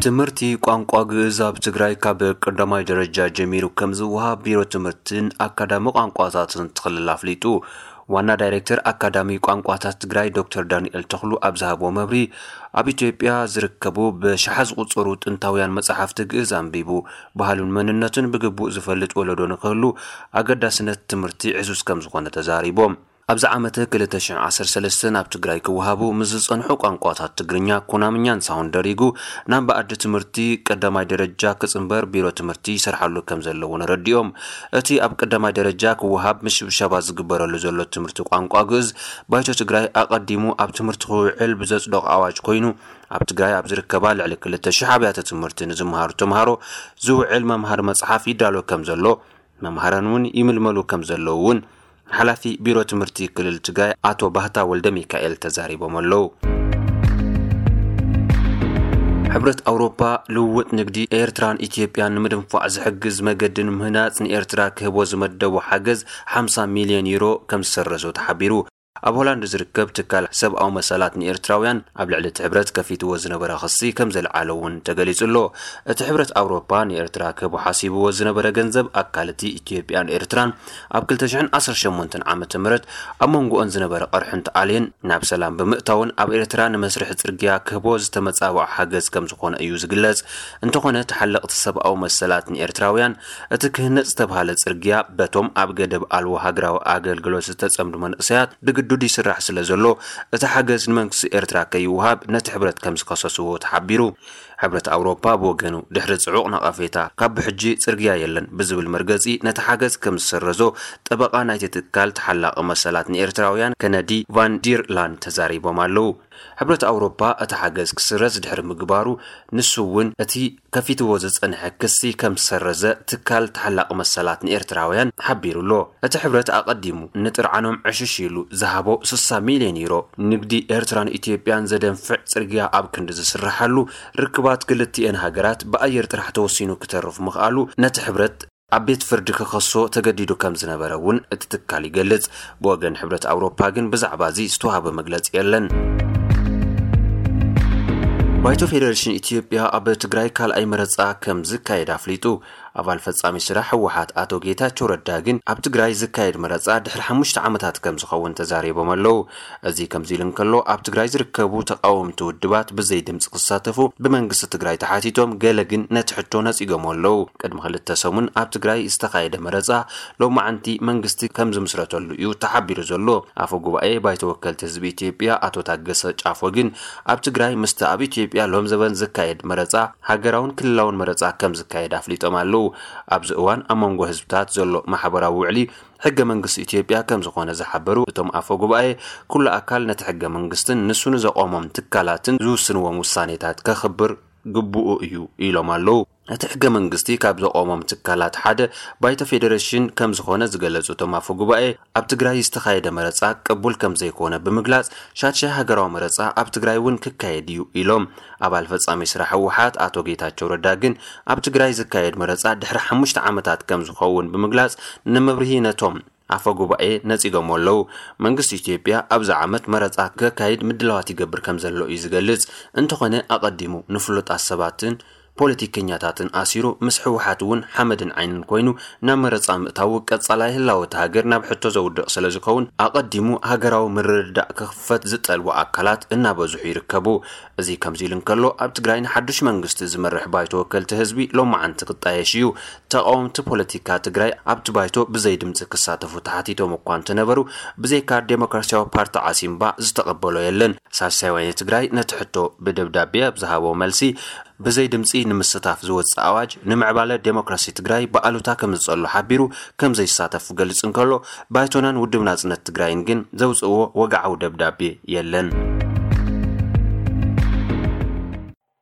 ትምህርቲ ቋንቋ ግእዝ ኣብ ትግራይ ካብ ቀዳማይ ደረጃ ጀሚሩ ከም ዝወሃብ ቢሮ ትምህርትን ኣካዳሚ ቋንቋታትን እቲ ክልል ኣፍሊጡ። ዋና ዳይሬክተር ኣካዳሚ ቋንቋታት ትግራይ ዶክተር ዳንኤል ተኽሉ ኣብ ዝሃቦ መብሪ፣ ኣብ ኢትዮጵያ ዝርከቡ ብሽሓ ዝቑጸሩ ጥንታውያን መጻሕፍቲ ግእዝ ኣንቢቡ፣ ባህሉን መንነቱን ብግቡእ ዝፈልጥ ወለዶ ንክህሉ ኣገዳስነት ትምህርቲ ዕዙዝ ከም ዝኾነ ተዛሪቦም። ኣብዚ ዓመተ ክልተ ሽሕን ዓሰርተ ሰለስተን ኣብ ትግራይ ክወሃቡ ምስ ዝጸንሑ ቋንቋታት ትግርኛ፣ ኩናምኛን ሳሆን ደሪጉ ናብ ብኣዲ ትምህርቲ ቀዳማይ ደረጃ ክጽንበር ቢሮ ትምህርቲ ይሰርሓሉ ከም ዘለውን ኣረዲኦም። እቲ ኣብ ቀዳማይ ደረጃ ክወሃብ ምሽብሻባት ዝግበረሉ ዘሎ ትምህርቲ ቋንቋ ግእዝ ባይቶ ትግራይ ኣቐዲሙ ኣብ ትምህርቲ ክውዕል ብዘጽደቖ ኣዋጅ ኮይኑ፣ ኣብ ትግራይ ኣብ ዝርከባ ልዕሊ ክልተ ሽሕ ኣብያተ ትምህርቲ ንዝመሃሩ ተምሃሮ ዝውዕል መምሃሪ መጽሓፍ ይዳሎ ከም ዘሎ፣ መምሃራን እውን ይምልመሉ ከም ዘለዉ እውን ሓላፊ ቢሮ ትምህርቲ ክልል ትግራይ ኣቶ ባህታ ወልደ ሚካኤል ተዛሪቦም ኣለዉ። ሕብረት ኣውሮፓ ልውውጥ ንግዲ ኤርትራን ኢትዮጵያን ንምድንፋዕ ዝሕግዝ መገዲ ንምህናጽ ንኤርትራ ክህቦ ዝመደቦ ሓገዝ ሓምሳ ሚልዮን ዩሮ ከም ዝሰረዞ ተሓቢሩ። ኣብ ሆላንድ ዝርከብ ትካል ሰብኣዊ መሰላት ንኤርትራውያን ኣብ ልዕሊ እቲ ሕብረት ከፊትዎ ዝነበረ ክሲ ከም ዘልዓለ እውን ተገሊጹ ኣሎ። እቲ ሕብረት ኣውሮፓ ንኤርትራ ክህቦ ሓሲብዎ ዝነበረ ገንዘብ ኣካል እቲ ኢትዮጵያን ኤርትራን ኣብ ክልተ ሽሕን ዓሰርተ ሸሞንተን ዓመተ ምህረት ኣብ መንጎኦን ዝነበረ ቅርሕንቲ ኣልየን ናብ ሰላም ብምእታውን ኣብ ኤርትራ ንመስርሒ ጽርግያ ክህቦ ዝተመጻበዐ ሓገዝ ከም ዝኾነ እዩ ዝግለጽ። እንተኾነ ተሓለቕቲ ሰብኣዊ መሰላት ንኤርትራውያን እቲ ክህነጽ ዝተብሃለ ጽርግያ በቶም ኣብ ገደብ ኣልቦ ሃገራዊ ኣገልግሎት ዝተጸምዱ መንእሰያት ብግዱድ ይስራሕ ስለ ዘሎ እቲ ሓገዝ ንመንግስቲ ኤርትራ ከይወሃብ ነቲ ሕብረት ከም ዝከሰስዎ ተሓቢሩ። ሕብረት ኣውሮፓ ብወገኑ ድሕሪ ጽዑቕ ነቐፌታ ካብ ብሕጂ ጽርግያ የለን ብዝብል መርገጺ ነቲ ሓገዝ ከም ዝሰረዞ ጠበቓ ናይቲ ትካል ተሓላቒ መሰላት ንኤርትራውያን ከነዲ ቫን ዲር ላን ተዛሪቦም ኣለዉ። ሕብረት ኣውሮፓ እቲ ሓገዝ ክስረዝ ድሕሪ ምግባሩ ንሱ እውን እቲ ከፊትዎ ዝጸንሐ ክሲ ከም ዝሰረዘ ትካል ተሓላቒ መሰላት ንኤርትራውያን ሓቢሩ ኣሎ። እቲ ሕብረት ኣቐዲሙ ንጥርዓኖም ዕሽሽ ኢሉ ዝሃቦ ስሳ ሚልዮን ዩሮ ንግዲ ኤርትራን ኢትዮጵያን ዘደንፍዕ ጽርግያ ኣብ ክንዲ ዝስርሓሉ ርክባት ክልቲኤን ሃገራት ብኣየር ጥራሕ ተወሲኑ ክተርፍ ምኽኣሉ ነቲ ሕብረት ኣብ ቤት ፍርዲ ክኸሶ ተገዲዱ ከም ዝነበረ እውን እቲ ትካል ይገልጽ። ብወገን ሕብረት ኣውሮፓ ግን ብዛዕባ እዚ ዝተዋህበ መግለጺ የለን። ባይቶ ፌደሬሽን ኢትዮጵያ ኣብ ትግራይ ካልኣይ መረጻ ከም ዝካየድ ኣፍሊጡ። ኣባል ፈጻሚ ስራሕ ህወሓት ኣቶ ጌታቸው ረዳ ግን ኣብ ትግራይ ዝካየድ መረጻ ድሕሪ ሓሙሽተ ዓመታት ከም ዝኸውን ተዛሪቦም ኣለዉ። እዚ ከምዚ ኢሉ እንከሎ፣ ኣብ ትግራይ ዝርከቡ ተቃወምቲ ውድባት ብዘይ ድምፂ ክሳተፉ ብመንግስቲ ትግራይ ተሓቲቶም፣ ገለ ግን ነቲ ሕቶ ነጺጎም ኣለዉ። ቅድሚ ክልተ ሰሙን ኣብ ትግራይ ዝተኻየደ መረጻ ሎማዓንቲ መንግስቲ ከም ዝምስረተሉ እዩ ተሓቢሩ ዘሎ። ኣፈ ጉባኤ ባይቶ ወከልቲ ህዝቢ ኢትዮጵያ ኣቶ ታገሰ ጫፎ ግን ኣብ ትግራይ ምስቲ ኣብ ኢትዮጵያ ሎም ዘበን ዝካየድ መረጻ ሃገራውን ክልላውን መረጻ ከም ዝካየድ ኣፍሊጦም ኣለዉ። ኣብዚ እዋን ኣብ መንጎ ህዝብታት ዘሎ ማሕበራዊ ውዕሊ ሕገ መንግስቲ ኢትዮጵያ ከም ዝኾነ ዝሓበሩ እቶም ኣፈ ጉባኤ፣ ኩሉ ኣካል ነቲ ሕገ መንግስትን ንሱ ንዘቆሞም ትካላትን ዝውስንዎም ውሳኔታት ከኽብር ግቡኡ እዩ ኢሎም ኣለዉ። እቲ ሕገ መንግስቲ ካብ ዘቆሞም ትካላት ሓደ ባይቶ ፌዴሬሽን ከም ዝኾነ ዝገለጹ እቶም ኣፈ ጉባኤ፣ ኣብ ትግራይ ዝተኻየደ መረጻ ቅቡል ከም ዘይኮነ ብምግላጽ፣ ሻድሻይ ሃገራዊ መረጻ ኣብ ትግራይ እውን ክካየድ እዩ ኢሎም። ኣባል ፈጻሚ ስራሕ ህወሓት ኣቶ ጌታቸው ረዳ ግን ኣብ ትግራይ ዝካየድ መረጻ ድሕሪ ሓሙሽተ ዓመታት ከም ዝኸውን ብምግላጽ፣ ንመብርሂ ነቶም ኣፈ ጉባኤ ነጺጎም ኣለዉ። መንግስቲ ኢትዮጵያ ኣብዚ ዓመት መረጻ ከካይድ ምድላዋት ይገብር ከም ዘሎ እዩ ዝገልጽ። እንተኾነ ኣቐዲሙ ንፍሉጣት ሰባትን ፖለቲከኛታትን ኣሲሩ ምስ ህወሓት እውን ሓመድን ዓይንን ኮይኑ ናብ መረጻ ምእታዉ ቀጻላይ ህላወ እቲ ሃገር ናብ ሕቶ ዘውድቕ ስለ ዝኸውን ኣቐዲሙ ሃገራዊ ምርድዳእ ክኽፈት ዝጠልቡ ኣካላት እናበዝሑ ይርከቡ። እዚ ከምዚ ኢሉ እንከሎ ኣብ ትግራይ ንሓዱሽ መንግስቲ ዝመርሕ ባይቶ ወከልቲ ህዝቢ ሎማዓንቲ ክጣየሽ እዩ። ተቃወምቲ ፖለቲካ ትግራይ ኣብቲ ባይቶ ብዘይ ድምፂ ክሳተፉ ተሓቲቶም እኳ እንተነበሩ ብዘይካ ዴሞክራሲያዊ ፓርቲ ዓሲምባ ዝተቐበሎ የለን። ሳልሳይ ወያነ ትግራይ ነቲ ሕቶ ብደብዳቤ ኣብ ዝሃቦ መልሲ ብዘይ ድምፂ ንምስታፍ ዝወፅእ ኣዋጅ ንምዕባለ ዴሞክራሲ ትግራይ ብኣሉታ ከም ዝፀሉ ሓቢሩ ከም ዘይሳተፍ ክገልፅ እንከሎ ባይቶናን ውድብ ናፅነት ትግራይን ግን ዘውፅእዎ ወግዓዊ ደብዳቤ የለን።